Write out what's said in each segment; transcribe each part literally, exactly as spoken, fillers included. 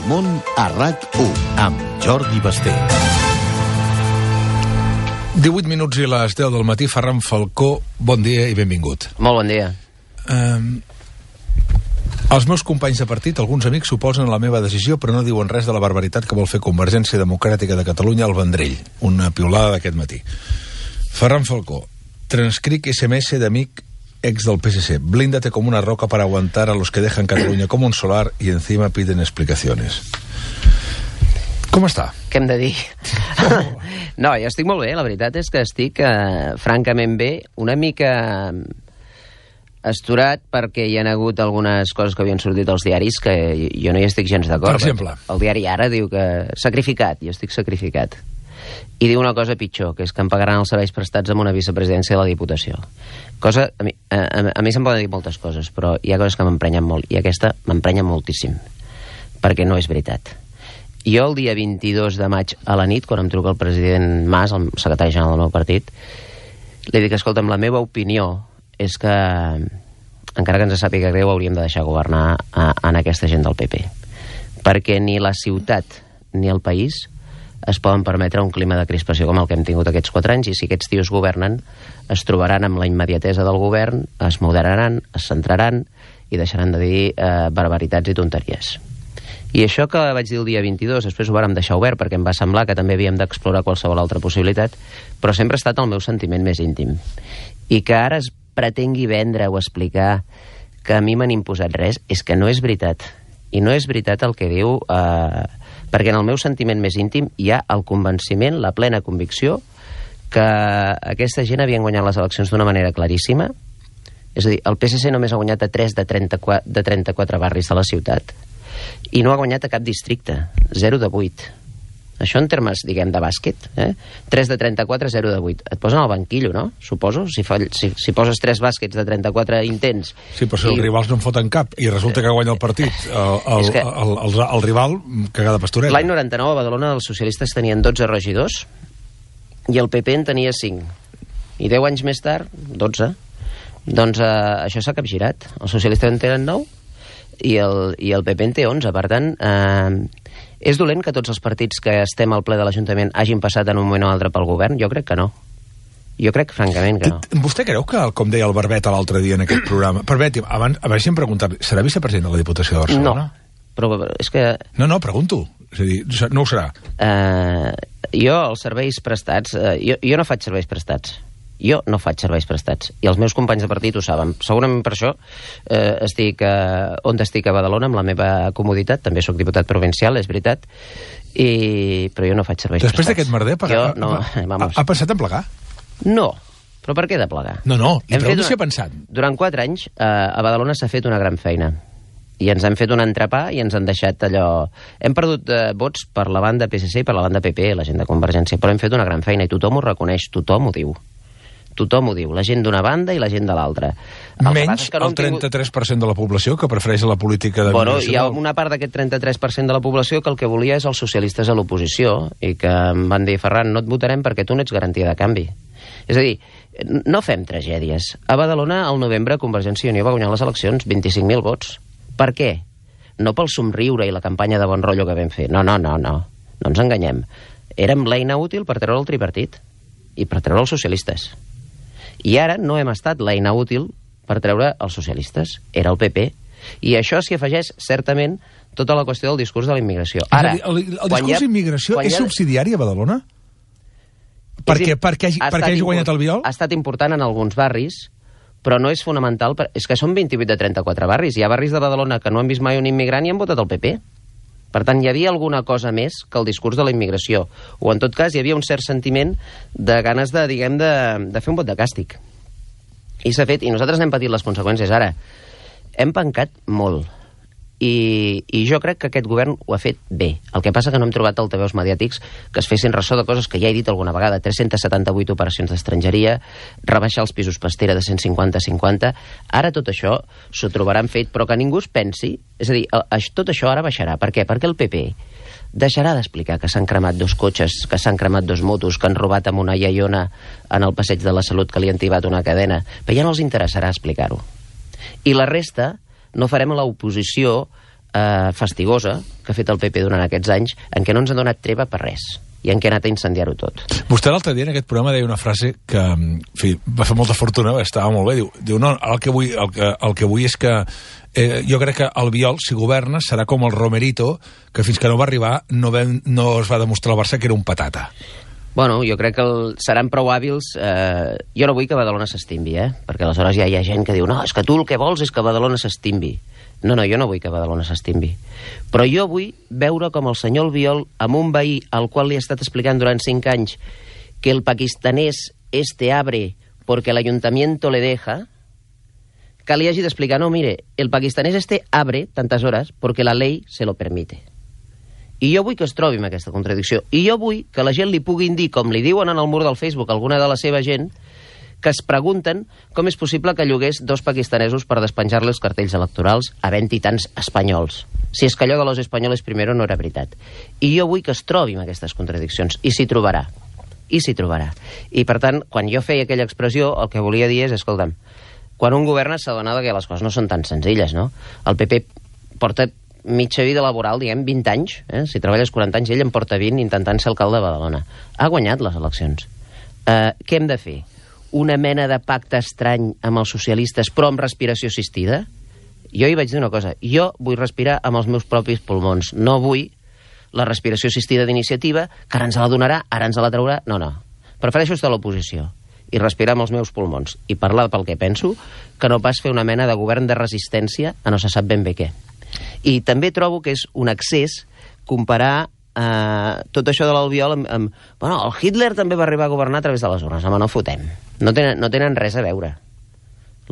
món a RAC u amb Jordi Basté. divuit minuts i les deu del matí. Ferran Falcó, bon dia i benvingut. Molt bon dia. Um, els meus companys de partit, alguns amics, s'oposen a la meva decisió, però no diuen res de la barbaritat que vol fer Convergència Democràtica de Catalunya al Vendrell. Una piulada d'aquest matí. Ferran Falcó, transcric ese eme ese d'amic ex del pe ese ce. Blíndate como una roca para aguantar a los que dejan Cataluña como un solar y encima piden explicaciones. Com està? Què hem de dir? No, jo estic molt bé. La veritat és que estic eh, francament bé. Una mica asturat perquè hi ha hagut algunes coses que havien sortit als diaris que jo no hi estic gens d'acord. Per exemple? El diari Ara diu que sacrificat, jo estic sacrificat. I diu una cosa pitjor, que és que em pagaran els serveis prestats amb una vicepresidència de la Diputació. Cosa, a mi, a, a mi se'm poden dir moltes coses, però hi ha coses que m'emprenyen molt, i aquesta m'emprenya moltíssim, perquè no és veritat. Jo el dia vint-i-dos de maig a la nit, quan em truca el president Mas, el secretari general del meu partit, li dic, escolta'm, la meva opinió és que, encara que ens sàpiga greu, hauríem de deixar governar a, a aquesta gent del pe pe. Perquè ni la ciutat ni el país es poden permetre un clima de crispació com el que hem tingut aquests quatre anys, i si aquests tios governen, es trobaran amb la immediatesa del govern, es moderaran, es centraran i deixaran de dir eh, barbaritats i tonteries. I això que vaig dir el dia vint-i-dos, després ho vàrem deixar obert perquè em va semblar que també havíem d'explorar qualsevol altra possibilitat, però sempre ha estat el meu sentiment més íntim. I que ara es pretengui vendre o explicar que a mi m'han imposat res, és que no és veritat. I no és veritat el que diu... Eh, perquè en el meu sentiment més íntim hi ha el convenciment, la plena convicció que aquesta gent havien guanyat les eleccions d'una manera claríssima. És a dir, el pe esse ce només ha guanyat a tres de trenta-quatre, de trenta-quatre barris de la ciutat i no ha guanyat a cap districte, zero de vuit. Això en termes, diguem, de bàsquet, eh? tres de trenta-quatre, zero de vuit. Et posen al banquillo, no? Suposo, si, fa, si, si poses tres bàsquets de trenta-quatre intents... Sí, però si i... els rivals no en foten cap i resulta que guanya el partit el, el, que... el, el, el, el rival, cagada pastoreta. L'any noranta-nou a Badalona els socialistes tenien dotze regidors i el pe pe en tenia cinc. I deu anys més tard, dotze. Doncs eh, això s'ha capgirat. Els socialistes en tenen nou i el, i el pe pe en té onze. Per tant... Eh, és dolent que tots els partits que estem al ple de l'Ajuntament hagin passat en un moment o altre pel govern? Jo crec que no. Jo crec, francament, que no. Vostè creu que, com deia el Barbet l'altre dia en aquest programa... Barbet, abans, abans si em preguntat, serà vicepresident de la Diputació de Barcelona? No, però és que... No, no, pregunto. És a dir, no ho serà. Uh, jo, els serveis prestats... Uh, jo, jo no faig serveis prestats. Jo no faig serveis prestats. I els meus companys de partit ho saben. Segurament per això eh, estic eh, on estic a Badalona, amb la meva comoditat. També sóc diputat provincial, és veritat. I... Però jo no faig serveis Després prestats. Després d'aquest merder, per... jo, no, ha, ha pensat en plegar? No. Però per què de plegar? No, no, li pregunto una... si ha pensat. Durant quatre anys eh, a Badalona s'ha fet una gran feina. I ens han fet un entrepà i ens han deixat allò... Hem perdut eh, vots per la banda pe esse ce i per la banda pe pe, la gent de Convergència, però hem fet una gran feina i tothom ho reconeix, tothom ho diu. Tothom ho diu, la gent d'una banda i la gent de l'altra. Menys el trenta-tres per cent de la població que prefereix la política de bueno, migració. Hi ha una part d'aquest trenta-tres per cent de la població que el que volia és els socialistes a l'oposició i que em van dir, Ferran, no et votarem perquè tu no ets garantia de canvi. És a dir, no fem tragèdies. A Badalona, al novembre, Convergència i Unió va guanyar les eleccions, vint-i-cinc mil vots. Per què? No pel somriure i la campanya de bon rotllo que vam fer. No, no, no, no. No ens enganyem. Érem l'eina útil per treure el tripartit i per treure els socialistes. I ara no hem estat l'eina útil per treure els socialistes. Era el pe pe. I això s'hi afegeix, certament, tota la qüestió del discurs de la immigració. Ara, dir, el, el discurs d'immigració és ha... subsidiari a Badalona? Perquè, perquè, hagi, perquè hagi guanyat el viol? Ha estat important en alguns barris, però no és fonamental. Per... És que són vint-i-vuit de trenta-quatre barris. Hi ha barris de Badalona que no han vist mai un immigrant i han votat el pe pe. Per tant, hi havia alguna cosa més que el discurs de la immigració. O, en tot cas, hi havia un cert sentiment de ganes de, diguem, de, de fer un vot de càstig. I s'ha fet, i nosaltres n'hem patit les conseqüències. Ara, hem pencat molt. I, I jo crec que aquest govern ho ha fet bé. El que passa que no hem trobat altaveus mediàtics que es fessin ressò de coses que ja he dit alguna vegada. tres-centes setanta-vuit operacions d'estrangeria, rebaixar els pisos pastera de cent cinquanta a cinquanta. Ara tot això s'ho trobaran fet, però que ningú es pensi... És a dir, tot això ara baixarà. Per què? Perquè el pe pe deixarà d'explicar que s'han cremat dos cotxes, que s'han cremat dos motos, que han robat amb una iaiona en el passeig de la Salut, que li han tibat una cadena. Però ja no els interessarà explicar-ho. I la resta no farem l'oposició eh, fastigosa que ha fet el P P durant aquests anys, en què no ens ha donat treva per res i en què ha anat a incendiar-ho tot. Vostè l'altre dia en aquest programa deia una frase que, en fi, va fer molta fortuna, estava molt bé, diu, diu no, el que vull, el que, el que vull és que eh, jo crec que el Biol, si governa, serà com el Romerito, que fins que no va arribar no, vam, no es va demostrar al Barça que era un patata. Bueno, jo crec que el, seran prou hàbils. Eh, jo no vull que Badalona s'estimbi, eh? Perquè aleshores ja hi ha gent que diu no, és que tu el que vols és que Badalona s'estimbi. No, no, jo no vull que Badalona s'estimbi. Però jo vull veure com el senyor Albiol, amb un veí al qual li ha estat explicant durant cinc anys que el pakistanès este abre porque el ayuntamiento le deja, que li hagi d'explicar, no, mire, el pakistanès este abre tantes hores porque la ley se lo permite. I jo vull que es trobi amb aquesta contradicció. I jo vull que la gent li puguin dir, com li diuen en el mur del Facebook alguna de la seva gent, que es pregunten com és possible que llogués dos pakistanesos per despenjar-li els cartells electorals havent-hi tants espanyols. Si és que allò de los espanyoles primero no era veritat. I jo vull que es trobi amb aquestes contradiccions. I s'hi trobarà. I s'hi trobarà. I, per tant, quan jo feia aquella expressió, el que volia dir és, escolta'm, quan un governa s'adona que les coses no són tan senzilles, no? El P P porta mitja vida laboral, diguem, vint anys. Eh? Si treballes quaranta anys, ell en porta vint intentant ser alcalde de Badalona. Ha guanyat les eleccions. Eh, què hem de fer? Una mena de pacte estrany amb els socialistes, però amb respiració assistida? Jo hi vaig dir una cosa. Jo vull respirar amb els meus propis pulmons. No vull la respiració assistida d'iniciativa, que ara ens la donarà, ara ens la traurà. No, no. Prefereixo estar a l'oposició i respirar amb els meus pulmons i parlar pel que penso, que no pas fer una mena de govern de resistència a no se sap ben bé què. I també trobo que és un excés comparar Uh, tot això de l'Albiol amb, amb... Bueno, el Hitler també va arribar a governar a través de les urnes. Home, no fotem. No tenen, no tenen res a veure.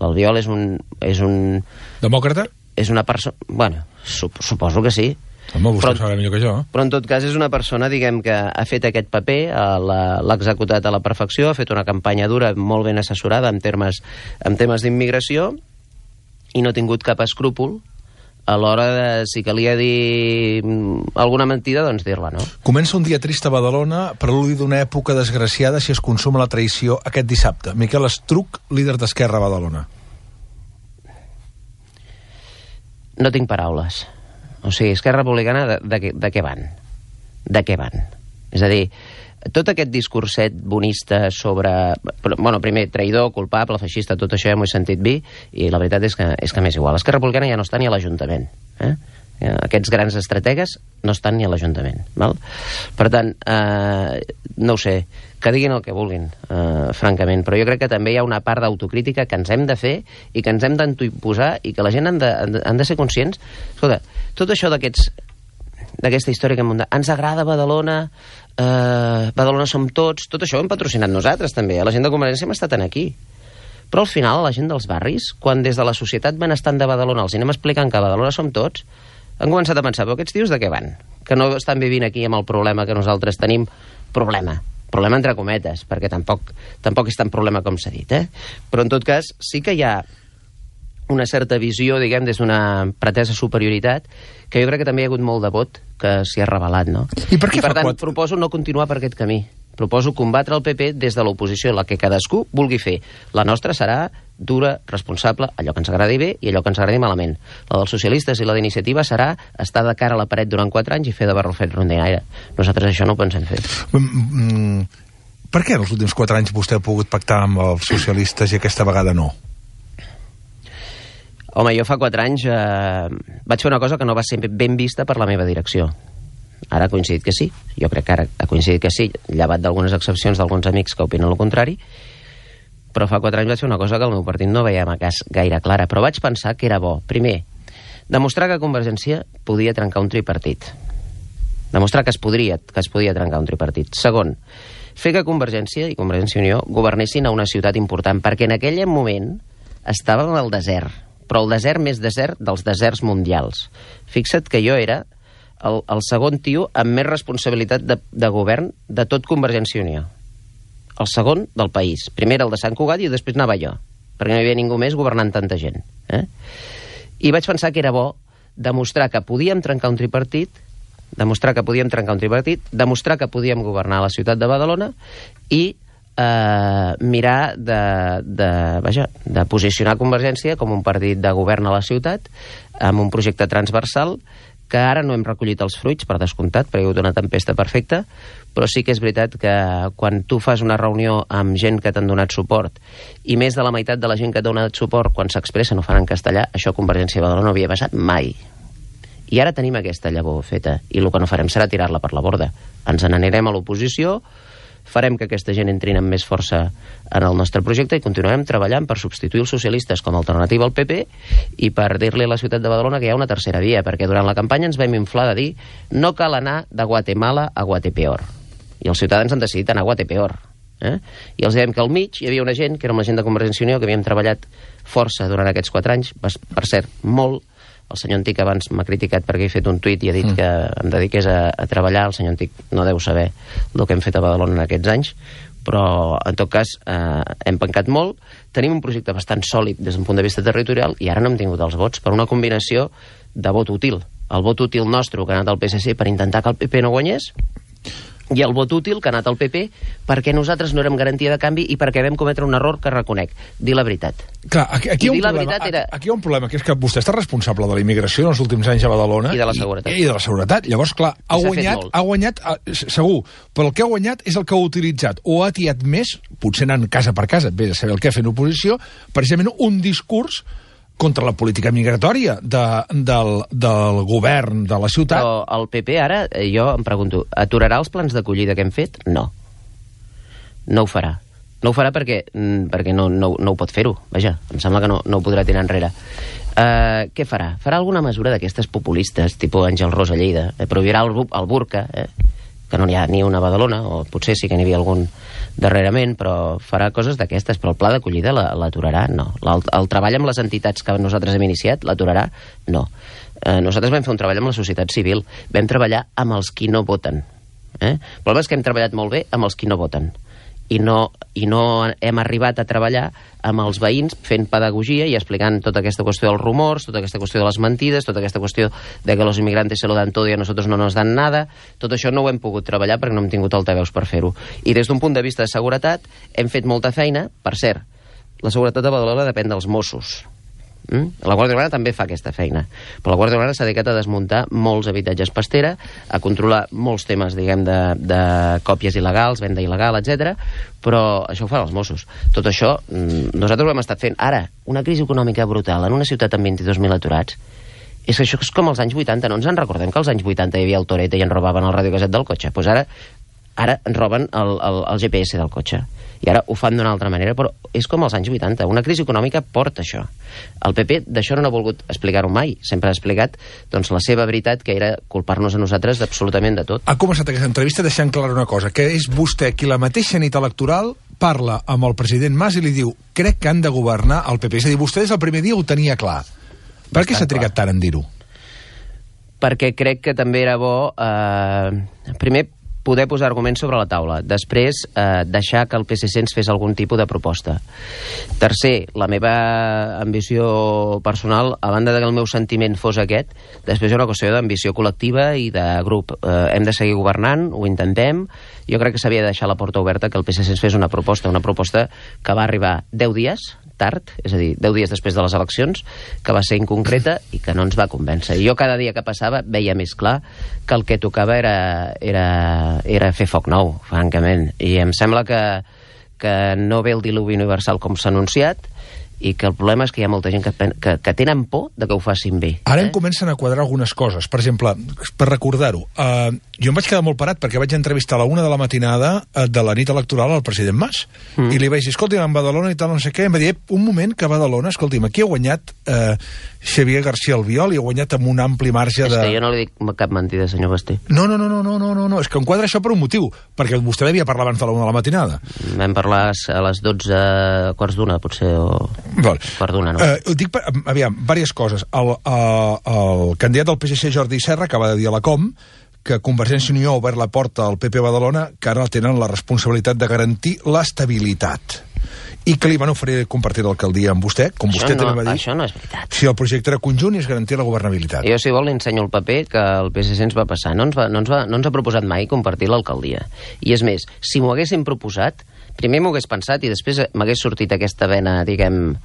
L'Albiol és un... És un... Demòcrata? És una persona... Bueno, sup suposo que sí. Home, vostè però, sabrà millor que jo. Però en tot cas és una persona, diguem, que ha fet aquest paper, l'ha executat a la perfecció, ha fet una campanya dura, molt ben assessorada en termes, en temes d'immigració, i no ha tingut cap escrúpol a l'hora de, si calia dir alguna mentida, doncs dir-la, no? Comença un dia trist a Badalona, preludi d'una època desgraciada si es consuma la traïció aquest dissabte. Miquel Estruch, líder d'Esquerra a Badalona. No tinc paraules. O sigui, Esquerra Republicana, de, de, de què van? De què van? És a dir, tot aquest discurset bonista sobre... Bueno, primer, traïdor, culpable, feixista, tot això ja m'ho he sentit dir, i la veritat és que, és que m'és igual. Esquerra Republicana ja no està ni a l'Ajuntament. Eh? Aquests grans estrategues no estan ni a l'Ajuntament. Val? Per tant, eh, no ho sé, que diguin el que vulguin, eh, francament, però jo crec que també hi ha una part d'autocrítica que ens hem de fer i que ens hem d'autoimposar i que la gent han de, han de ser conscients. Escolta, tot això d'aquests d'aquesta història que hem muntat. Ens agrada Badalona, eh, Badalona som tots, tot això ho hem patrocinat nosaltres també, la gent de Convergència hem estat aquí. Però al final la gent dels barris, quan des de la societat benestant de Badalona els anem explicant que a Badalona som tots, han començat a pensar, però aquests tios de què van? Que no estan vivint aquí amb el problema que nosaltres tenim. Problema. Problema entre cometes, perquè tampoc, tampoc és tan problema com s'ha dit, eh? Però en tot cas sí que hi ha una certa visió, diguem, des d'una pretesa superioritat, que jo crec que també hi ha hagut molt de vot que s'hi ha revelat, no? I per què I per fa tant, quatre... proposo no continuar per aquest camí. Proposo combatre el P P des de l'oposició, la que cadascú vulgui fer. La nostra serà dura, responsable, allò que ens agradi bé i allò que ens agradi malament. La dels socialistes i la d'iniciativa serà estar de cara a la paret durant quatre anys i fer de barrufet rondinaire. Nosaltres això no ho pensem fer. Mm, mm, per què en els últims quatre anys vostè ha pogut pactar amb els socialistes i aquesta vegada no? Home, jo fa quatre anys eh, vaig fer una cosa que no va ser ben vista per la meva direcció. Ara ha coincidit que sí. Jo crec que ara ha coincidit que sí, llevat d'algunes excepcions d'alguns amics que opinen el contrari. Però fa quatre anys vaig fer una cosa que el meu partit no veia a cas gaire clara. Però vaig pensar que era bo. Primer, demostrar que Convergència podia trencar un tripartit. Demostrar que es podria, que es podia trencar un tripartit. Segon, fer que Convergència i Convergència i Unió governessin a una ciutat important, perquè en aquell moment estàvem al desert, però el desert més desert dels deserts mundials. Fixa't que jo era el, el segon tio amb més responsabilitat de, de govern de tot Convergència i Unió. El segon del país. Primer el de Sant Cugat i després anava jo, perquè no hi havia ningú més governant tanta gent. Eh? I vaig pensar que era bo demostrar que podíem trencar un tripartit, demostrar que podíem trencar un tripartit, demostrar que podíem governar la ciutat de Badalona i eh, mirar de, de, vaja, de posicionar Convergència com un partit de govern a la ciutat, amb un projecte transversal, que ara no hem recollit els fruits, per descomptat, perquè hi ha hagut una tempesta perfecta, però sí que és veritat que quan tu fas una reunió amb gent que t'han donat suport, i més de la meitat de la gent que t'ha donat suport, quan s'expressa no fan en castellà, això a Convergència de Badalona no havia passat mai. I ara tenim aquesta llavor feta, i el que no farem serà tirar-la per la borda. Ens n'anirem a l'oposició, farem que aquesta gent entrin amb més força en el nostre projecte i continuarem treballant per substituir els socialistes com a alternativa al P P i per dir-li a la ciutat de Badalona que hi ha una tercera via, perquè durant la campanya ens vam inflar de dir no cal anar de Guatemala a Guatepeor. I els ciutadans han decidit anar a Guatepeor. Eh? I els dèiem que al mig hi havia una gent, que era la gent de Convergència i Unió, que havíem treballat força durant aquests quatre anys, per cert, molt. El senyor Antic abans m'ha criticat perquè he fet un tuit i ha dit mm. que em dediqués a, a treballar. El senyor Antic no deu saber el que hem fet a Badalona en aquests anys, però en tot cas eh, hem pencat molt. Tenim un projecte bastant sòlid des d'un punt de vista territorial i ara no hem tingut els vots per una combinació de vot útil. El vot útil nostre que ha anat al P S C per intentar que el P P no guanyés, i el vot útil que ha anat al P P perquè nosaltres no érem garantia de canvi i perquè vam cometre un error que reconec, dir la veritat. Clar, aquí, aquí, hi ha un problema, era... aquí hi ha un problema, que és que vostè està responsable de la immigració en els últims anys a Badalona i de la seguretat. I, i de la seguretat. Llavors, clar, ha guanyat, ha guanyat, segur, però el que ha guanyat és el que ha utilitzat o ha atiat més, potser anant casa per casa, bé de saber el que ha fet l'oposició, precisament un discurs contra la política migratòria de, del, del govern de la ciutat. Però el P P ara, jo em pregunto, aturarà els plans d'acollida que hem fet? No. No ho farà. No ho farà perquè, perquè no, no, no ho pot fer-ho. Vaja, em sembla que no, no ho podrà tirar enrere. Uh, què farà? Farà alguna mesura d'aquestes populistes, tipus Àngel Rosa Lleida, eh, prohibirà el, el burca, eh, que no n'hi ha ni una a Badalona, o potser sí que n'hi havia algun darrerament, però farà coses d'aquestes, però el pla d'acollida l'aturarà? No. El, el treball amb les entitats que nosaltres hem iniciat l'aturarà? No. Eh, nosaltres vam fer un treball amb la societat civil, vam treballar amb els qui no voten. Eh? El problema és que hem treballat molt bé amb els qui no voten. I no, i no hem arribat a treballar amb els veïns fent pedagogia i explicant tota aquesta qüestió dels rumors, tota aquesta qüestió de les mentides, tota aquesta qüestió de que los inmigrantes se lo dan todo y a nosotros no nos dan nada. Tot això no ho hem pogut treballar perquè no hem tingut altaveus per fer-ho. I des d'un punt de vista de seguretat hem fet molta feina. Per cert, la seguretat de Badalona depèn dels Mossos. Mm? La Guàrdia Urbana també fa aquesta feina, però la Guàrdia Urbana s'ha dedicat a desmuntar molts habitatges pastera, a controlar molts temes, diguem, de, de còpies il·legals, venda il·legal, etcètera. Però això ho fan els Mossos. Tot això nosaltres ho hem estat fent. Ara, una crisi econòmica brutal en una ciutat amb vint-i-dos mil aturats, és que això és com els anys vuitanta. No ens en recordem que als anys vuitanta hi havia el Toret i ens robaven el radiocasset del cotxe? Doncs ara, ara ens roben el, el, el G P S del cotxe. I ara ho fan d'una altra manera, però és com als anys vuitanta. Una crisi econòmica porta això. El P P d'això no ha volgut explicar-ho mai. Sempre ha explicat doncs, la seva veritat, que era culpar-nos a nosaltres d'absolutament de tot. Ha començat aquesta entrevista deixant clara una cosa, que és vostè qui la mateixa nit electoral parla amb el president Mas i li diu crec que han de governar el P P. És a dir, vostè des del primer dia ho tenia clar. Per què s'ha trigat tant en dir-ho? Perquè crec que també era bo... Eh, primer, poder posar arguments sobre la taula. Després, eh, deixar que el P S C ens fes algun tipus de proposta. Tercer, la meva ambició personal, a banda de que el meu sentiment fos aquest, després hi ha una qüestió d'ambició col·lectiva i de grup. Eh, hem de seguir governant, ho intentem. Jo crec que s'havia de deixar la porta oberta que el P S C ens fes una proposta, una proposta que va arribar deu dies tard, és a dir, deu dies després de les eleccions, que va ser inconcreta i que no ens va convèncer. I jo cada dia que passava veia més clar que el que tocava era, era, era fer foc nou, francament. I em sembla que, que no ve el diluvi universal com s'ha anunciat i que el problema és que hi ha molta gent que, que, que tenen por de que ho facin bé. Ara eh? em comencen a quadrar algunes coses. Per exemple, per recordar-ho, uh, jo em vaig quedar molt parat perquè vaig entrevistar a la una de la matinada uh, de la nit electoral al president Mas. Mm. I li vaig dir, escolti, en Badalona i tal, no sé què, em va dir, un moment que a Badalona, escolti'm, aquí ha guanyat uh, Xavier García Albiol i ha guanyat amb un ampli marge de... És que jo no li dic cap mentida, senyor Basté. No, no, no, no, no, no, no, no. És que em quadra això per un motiu, perquè vostè devia parlar abans de la una de la matinada. Vam parlar a les dotze quarts d'una, potser, o... Val. Perdona, no? Uh, dic, per, aviam, diverses coses. El, uh, el candidat del P S C, Jordi Serra, acaba de dir a la Com que Convergència i Unió ha obert la porta al P P Badalona, que ara tenen la responsabilitat de garantir l'estabilitat. I que li van oferir compartir l'alcaldia amb vostè, com això vostè no, també va dir. Això no és veritat. Si el projecte era conjunt i es garantia la governabilitat. Jo, si vol, li ensenyo el paper que el P S C ens va passar. No ens, va, no ens, va, no ens ha proposat mai compartir l'alcaldia. I és més, si m'ho haguessin proposat, primer m'ho hagués pensat i després m'hagués sortit aquesta vena, diguem,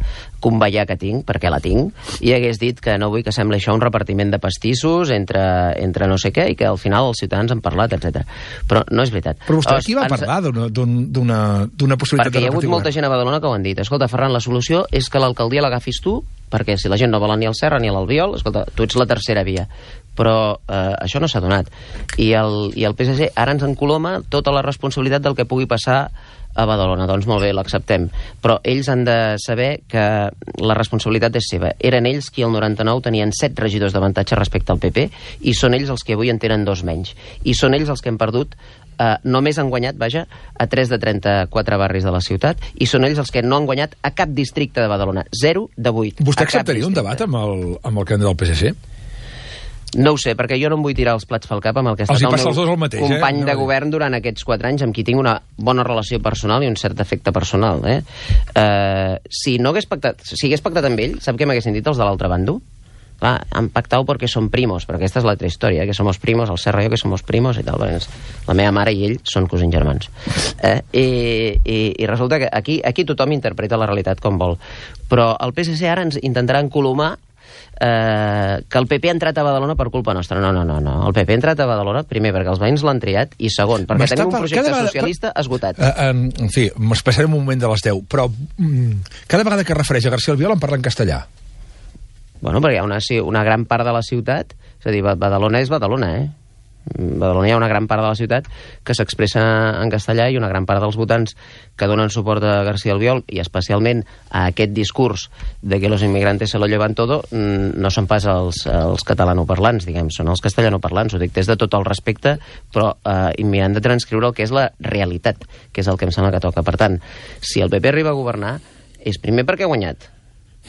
convallar que tinc, perquè la tinc, i hagués dit que no vull que sembli això un repartiment de pastissos entre, entre no sé què i que al final els ciutadans han parlat, etcètera. Però no és veritat. Però vostè aquí va ens... parlar d'una possibilitat perquè de repartir govern. Perquè hi ha hagut molta gent a Badalona que ho han dit. Escolta, Ferran, la solució és que l'alcaldia l'agafis tu, perquè si la gent no vol ni el Serra ni l'Albiol, escolta, tu ets la tercera via. Però eh, això no s'ha donat. I el, I el P S C ara ens encoloma tota la responsabilitat del que pugui passar a Badalona. Doncs molt bé, l'acceptem. Però ells han de saber que la responsabilitat és seva. Eren ells qui el noranta-nou tenien set regidors d'avantatge respecte al P P i són ells els que avui en tenen dos menys. I són ells els que han perdut, eh, només han guanyat, vaja, a tres de trenta-quatre barris de la ciutat i són ells els que no han guanyat a cap districte de Badalona. zero de vuit. Vostè acceptaria un debat amb el, amb el candidat del P S C? No ho sé, perquè jo no em vull tirar els plats pel cap amb el que ha estat el meu mateix, company eh? de govern durant aquests quatre anys, amb qui tinc una bona relació personal i un cert efecte personal. Eh? Uh, si no hagués pactat, si hagués pactat amb ell, sap què m'haguessin dit els de l'altre bando? Clar, han pactat perquè som primos, perquè aquesta és l'altra història, que somos primos, el Serra i jo que somos primos i tal. La meva mare i ell són cosins germans. Eh? I, i, I resulta que aquí, aquí tothom interpreta la realitat com vol. Però el P S C ara ens intentarà encolomar Eh, que el P P ha entrat a Badalona per culpa nostra. No, no, no, no. El P P ha entrat a Badalona, primer, perquè els veïns l'han triat, i segon, perquè tenim un projecte vegada, socialista esgotat. Uh, um, en fi, m'espassarem un moment de les deu, però um, cada vegada que es refereix a García Albiol en parla en castellà. Bueno, perquè hi ha una, sí, una gran part de la ciutat, és a dir, Badalona és Badalona, eh? Badalona hi ha una gran part de la ciutat que s'expressa en castellà i una gran part dels votants que donen suport a García Albiol i especialment a aquest discurs de que los inmigrantes se lo llevan todo no són pas els, els catalanoparlants, diguem, són els castellanoparlants, ho dic des de tot el respecte, però eh, mirant de transcriure el que és la realitat, que és el que em sembla que toca. Per tant, si el P P arriba a governar és primer perquè ha guanyat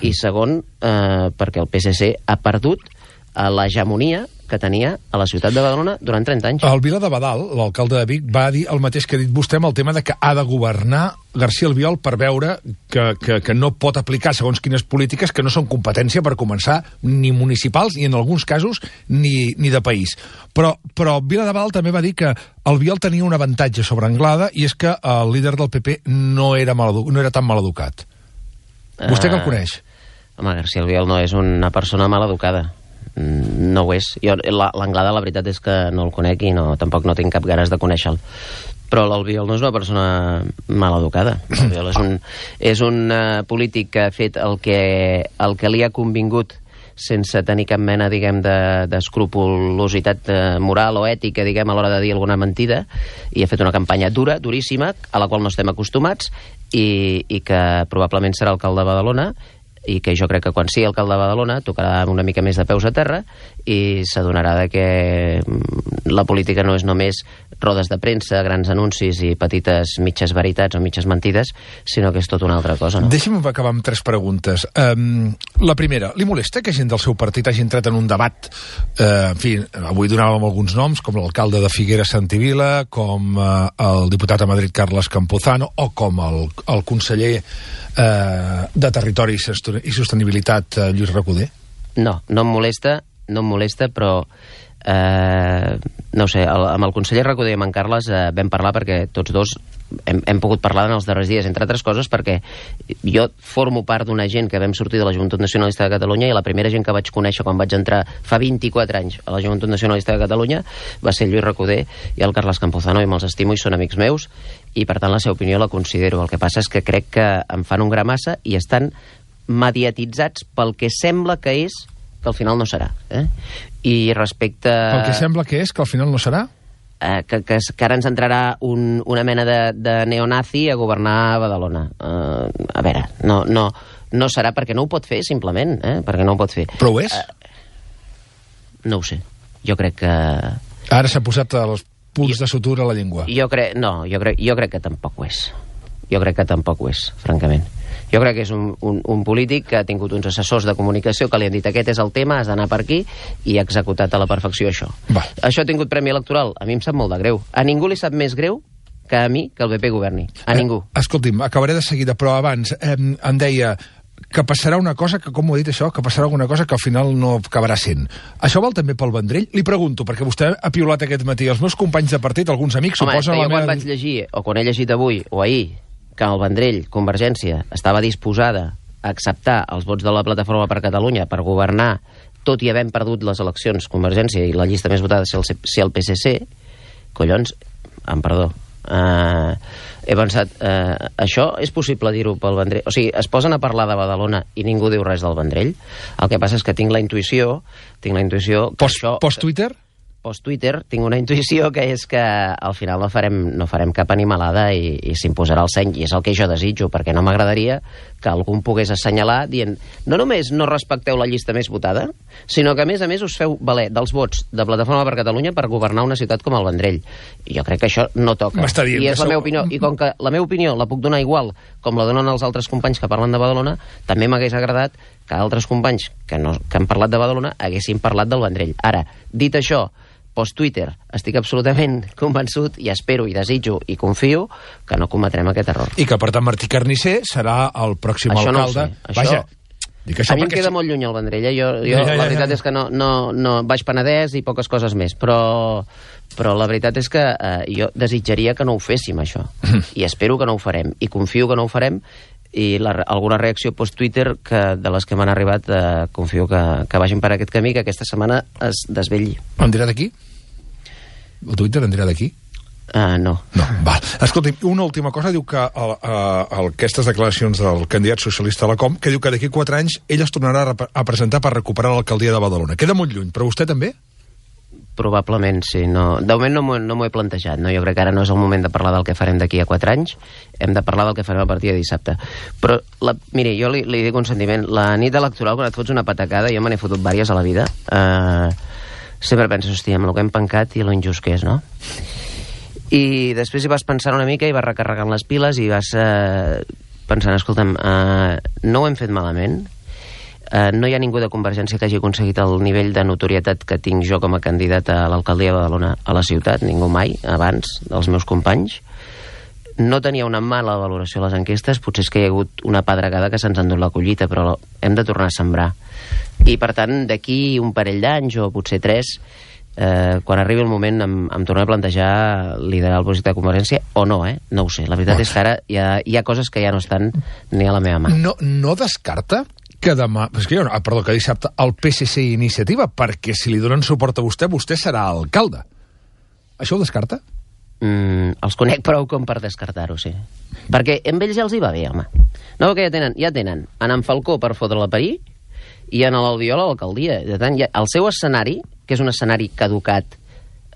i segon eh, perquè el P S C ha perdut a l'hegemonia que tenia a la ciutat de Badalona durant trenta anys. El Vila de Badal, l'alcalde de Vic, va dir el mateix que ha dit vostè amb el tema de que ha de governar García Albiol per veure que, que, que no pot aplicar segons quines polítiques que no són competència per començar ni municipals i en alguns casos ni, ni de país. Però, però Vila de Badal també va dir que Albiol tenia un avantatge sobre Anglada i és que el líder del P P no era, mal, no era tan mal educat. Vostè que el coneix? Uh, home, García Albiol no és una persona mal educada. No ho és. L'Anglada la veritat és que no el conec i no, tampoc no tinc cap ganes de conèixer-lo. Però l'Albiol no és una persona mal educada. L'Albiol és un, és un uh, polític que ha fet el que, el que li ha convingut sense tenir cap mena, diguem, d'escrupulositat de, de moral o ètica, diguem, a l'hora de dir alguna mentida, i ha fet una campanya dura, duríssima, a la qual no estem acostumats, i, i que probablement serà alcalde de Badalona, i que jo crec que quan sigui alcalde de Badalona tocarà una mica més de peus a terra i s'adonarà de que la política no és només rodes de premsa, grans anuncis i petites mitges veritats o mitges mentides, sinó que és tot una altra cosa, no? Deixi'm acabar amb tres preguntes. Um, la primera, li molesta que gent del seu partit hagi entrat en un debat, uh, en fi, avui donàvem alguns noms, com l'alcalde de Figueres Santivila, com uh, el diputat a Madrid Carles Campuzano, o com el, el conseller uh, de Territori i Sostenibilitat uh, Lluís Recoder? No, no em molesta, no em molesta, però eh, no ho sé, el, amb el conseller Recoder i amb en Carles eh, vam parlar perquè tots dos hem, hem pogut parlar en els darrers dies, entre altres coses perquè jo formo part d'una gent que vam sortir de la Joventut Nacionalista de Catalunya i la primera gent que vaig conèixer quan vaig entrar fa vint-i-quatre anys a la Joventut Nacionalista de Catalunya va ser el Lluís Recoder i el Carles Campuzano, i me'ls estimo i són amics meus i per tant la seva opinió la considero. El que passa és que crec que em fan un gra massa i estan mediatitzats pel que sembla que és que al final no serà. Eh? I respecte... El que sembla que és que al final no serà? Eh, que, que, que ara ens entrarà un, una mena de, de neonazi a governar Badalona. Eh, a veure, no, no, no serà perquè no ho pot fer, simplement, eh? perquè no ho pot fer. Però ho és? Eh, no ho sé. Jo crec que... Ara s'ha posat els punts jo, de sutura a la llengua. Jo crec... No, jo crec, jo crec que tampoc ho és. Jo crec que tampoc ho és, francament. Jo crec que és un, un, un polític que ha tingut uns assessors de comunicació que li han dit aquest és el tema, has d'anar per aquí, i ha executat a la perfecció això. Va. Això ha tingut premi electoral. A mi em sap molt de greu. A ningú li sap més greu que a mi que el P P governi. A eh, ningú. Escolti'm, acabaré de seguida, però abans eh, em deia que passarà una cosa, que com ho he dit això, que passarà alguna cosa que al final no acabarà sent. Això val també pel Vendrell? Li pregunto, perquè vostè ha piulat aquest matí. Els meus companys de partit, alguns amics, Home, suposen... Home, jo quan meva... vaig llegir, o quan he llegit avui, o ahir, que el Vendrell, Convergència, estava disposada a acceptar els vots de la Plataforma per Catalunya per governar, tot i havent perdut les eleccions Convergència i la llista més votada ser el, ser el P S C, collons, amb perdó, uh, he pensat, uh, això és possible dir-ho pel Vendrell? O sigui, es posen a parlar de Badalona i ningú diu res del Vendrell. El que passa és que tinc la intuïció, tinc la intuïció que Post, això... Post-Twitter? Post-Twitter, tinc una intuïció que és que al final no farem, no farem cap animalada i, i s'imposarà el seny, i és el que jo desitjo, perquè no m'agradaria que algú em pogués assenyalar dient, no només no respecteu la llista més votada, sinó que a més a més us feu valer dels vots de Plataforma per Catalunya per governar una ciutat com el Vendrell. I jo crec que això no toca. M'està dient I és que la sou- meva opinió. I com que la meva opinió la puc donar igual com la donen els altres companys que parlen de Badalona, també m'hagués agradat que altres companys que, no, que han parlat de Badalona haguessin parlat del Vendrell. Ara, dit això, post-Twitter, estic absolutament convençut i espero i desitjo i confio que no cometrem aquest error. I que, per tant, Martí Carnicer serà el pròxim Això no ho alcalde. sé, això- Vaja, dic això A mi em perquè... queda molt lluny el Vendrell, eh? jo, jo, Ja, ja, ja, la veritat ja. és que no, no, no Baix Penedès i poques coses més, però, però la veritat és que eh, jo desitjaria que no ho féssim, això, i espero que no ho farem, i confio que no ho farem, i la, alguna reacció post-Twitter que, de les que m'han arribat, eh, confio que, que vagin per aquest camí, que aquesta setmana es desvetlli. En dirà d'aquí? El Twitter en dirà d'aquí? Uh, no. No, val. Escolti, una última cosa, diu que el, el, aquestes declaracions del candidat socialista a la Com, que diu que d'aquí quatre anys ell es tornarà a, rep- a presentar per recuperar l'alcaldia de Badalona. Queda molt lluny, però vostè també? Probablement, sí. No. De moment no m'ho no m'ho he plantejat. No? Jo crec que ara no és el moment de parlar del que farem d'aquí a quatre anys. Hem de parlar del que farem a partir de dissabte. Però, la, miri, jo li, li dic un sentiment. La nit electoral, quan et fots una patacada, jo me n'he fotut vàries a la vida, eh, sempre penso, hòstia, amb el que hem pencat i lo injust que és, no? I després hi vas pensant una mica i vas recarregant les piles i vas eh, pensant, escolta'm, eh, no ho hem fet malament, eh, no hi ha ningú de Convergència que hagi aconseguit el nivell de notorietat que tinc jo com a candidat a l'alcaldia de Badalona a la ciutat, ningú mai, abans dels meus companys. No tenia una mala valoració a les enquestes, potser és que hi ha hagut una pedregada que se'ns ha endut la collita, però hem de tornar a sembrar. I, per tant, d'aquí un parell d'anys, o potser tres, eh, quan arribi el moment em, em tornaré a plantejar liderar el projecte de Convergència, o no, eh? No ho sé. La veritat és que ara hi ha, hi ha coses que ja no estan ni a la meva mà. No, no descarta que demà... És que jo, ah, perdó, que dissabte el P S C i Iniciativa, perquè si li donen suport a vostè, vostè serà alcalde. Això ho descarta? Mm, els conec prou com per descartar-ho, sí. Perquè amb ells ja els hi va bé, home. No, que ja tenen, ja tenen en en Falcó per fotre-la a parir i en l'Albiol a l'alcaldia. De tant, ja, el seu escenari, que és un escenari caducat,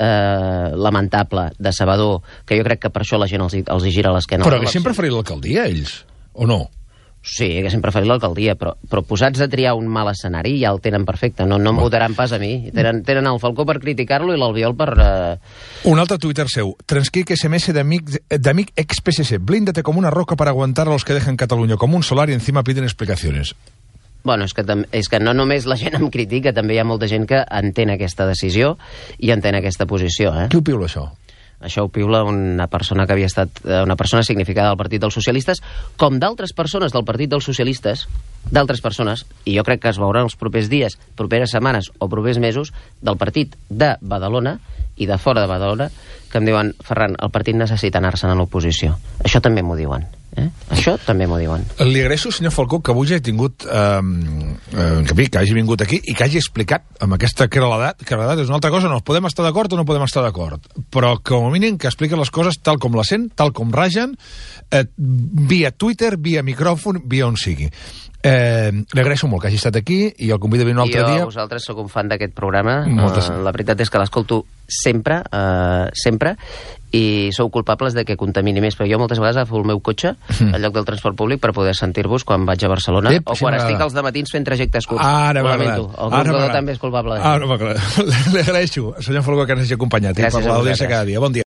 eh, lamentable, decebedor, que jo crec que per això la gent els, hi- els hi gira l'esquena. Però haguessin preferit l'alcaldia, ells? O no? Sí, haguessin preferit l'alcaldia, però, però posats a triar un mal escenari ja el tenen perfecte. No, no em votaran pas a mi. Tenen, tenen el Falcó per criticar-lo i l'Albiol per... Eh... Un altre Twitter seu. Transcric S M S d'amic d'amic ex-P S C. Blíndate como una roca para aguantar a los que dejan Cataluña como un solar y encima piden explicaciones. Bueno, és que, tam- és que no només la gent em critica, també hi ha molta gent que entén aquesta decisió i entén aquesta posició, eh? Qui ho piula, això? Això ho piula una persona que havia estat eh, una persona significada del Partit dels Socialistes, com d'altres persones del Partit dels Socialistes, d'altres persones, i jo crec que es veurà els propers dies, properes setmanes o propers mesos, del partit de Badalona i de fora de Badalona, que em diuen, Ferran, el partit necessita anar-se'n a l'oposició. Això també m'ho diuen. Eh? Això també m'ho diuen. Li agraeixo, senyor Falcó, que avui hagi tingut eh, eh, que, que hagi vingut aquí i que hagi explicat amb aquesta claredat, claredat és una altra cosa, no podem estar d'acord o no podem estar d'acord, però com a mínim que expliquen les coses tal com la sent, tal com ragen, eh, via Twitter, via micròfon, via on sigui. Eh, li agraeixo molt que hagi estat aquí i el convido a venir un altre jo, dia. Jo, vosaltres, sóc un fan d'aquest programa. Moltes... Uh, la veritat és que l'escolto sempre, uh, sempre, i sou culpables de que contamini més, però jo moltes vegades agafo el meu cotxe al lloc del transport públic per poder sentir-vos quan vaig a Barcelona Ep, o sí, quan m'agrada. estic als dematins fent trajectes curts. Ara Ho m'ha lamento. agradat. El Ara conductor m'ha també és culpable. Ara m'ha agradat. Li agraeixo, senyor Falcó, que ens hagi acompanyat i Gràcies per a l'audiència vosaltres. cada dia. Bon dia.